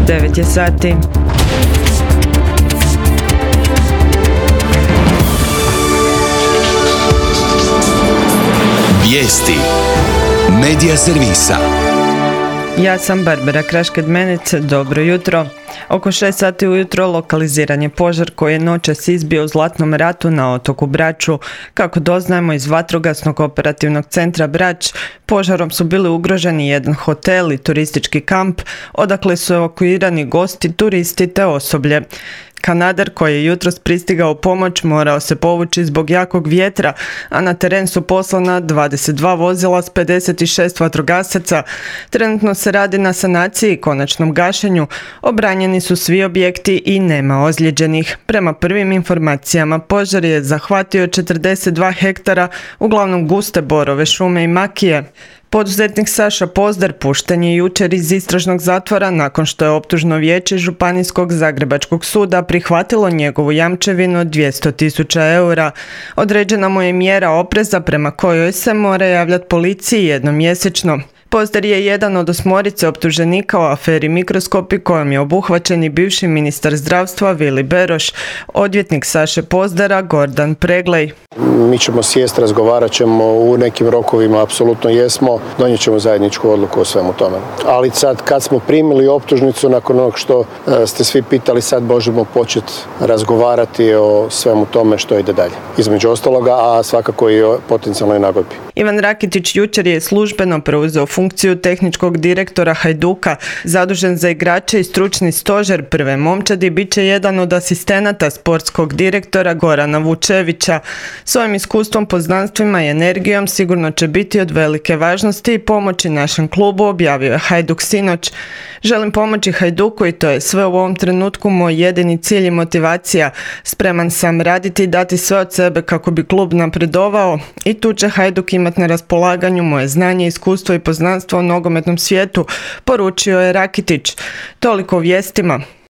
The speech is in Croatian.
9 je sati. Vijesti Medija servisa. Ja sam Barbara Krašked-Menec, dobro jutro. Oko 6 sati ujutro lokaliziran je požar koji je noćas izbio u Zlatnom ratu na otoku Braču. Kako doznajemo iz vatrogasnog operativnog centra Brač, požarom su bili ugroženi jedan hotel i turistički kamp, odakle su evakuirani gosti, turisti te osoblje. Kanader koji je jutros pristigao pomoć morao se povući zbog jakog vjetra, a na teren su poslana 22 vozila s 56 vatrogasaca. Trenutno se radi na sanaciji i konačnom gašenju. Obranjeni su svi objekti i nema ozlijeđenih. Prema prvim informacijama, požar je zahvatio 42 hektara, uglavnom guste borove, šume i makije. Poduzetnik Saša Pozdar pušten je jučer iz istražnog zatvora nakon što je optužno vijeće Županijskog zagrebačkog suda prihvatilo njegovu jamčevinu od 200.000 eura. Određena mu je mjera opreza prema kojoj se mora javljati policiji jednom mjesečno. Pozdar je jedan od 8 optuženika u aferi Mikroskopi kojom je obuhvaćen i bivši ministar zdravstva Vili Beroš. Odvjetnik Saše Pozdara Gordan Preglej. Mi ćemo sjest, razgovarat ćemo u nekim rokovima, apsolutno jesmo, donijet ćemo zajedničku odluku o svemu tome. Ali sad kad smo primili optužnicu, nakon onog što ste svi pitali, sad možemo početi razgovarati o svemu tome što ide dalje. Između ostaloga, a svakako i o potencijalnoj nagodbi. Ivan Rakitić jučer je službeno preuzeo funkciju tehničkog direktora Hajduka, zadužen za igrače i stručni stožer prve momčadi, bit će jedan od asistenata sportskog direktora Gorana Vučevića. Svojim iskustvom, poznanstvima i energijom sigurno će biti od velike važnosti i pomoći našem klubu, objavio je Hajduk sinoć. Želim pomoći Hajduku i to je sve u ovom trenutku moj jedini cilj i motivacija. Spreman sam raditi i dati sve od sebe kako bi klub napredovao i tu će Hajduk imati na raspolaganju moje znanje, iskustvo i poznanstvo u nogometnom svijetu, poručio je Rakitić. Toliko o vijestima.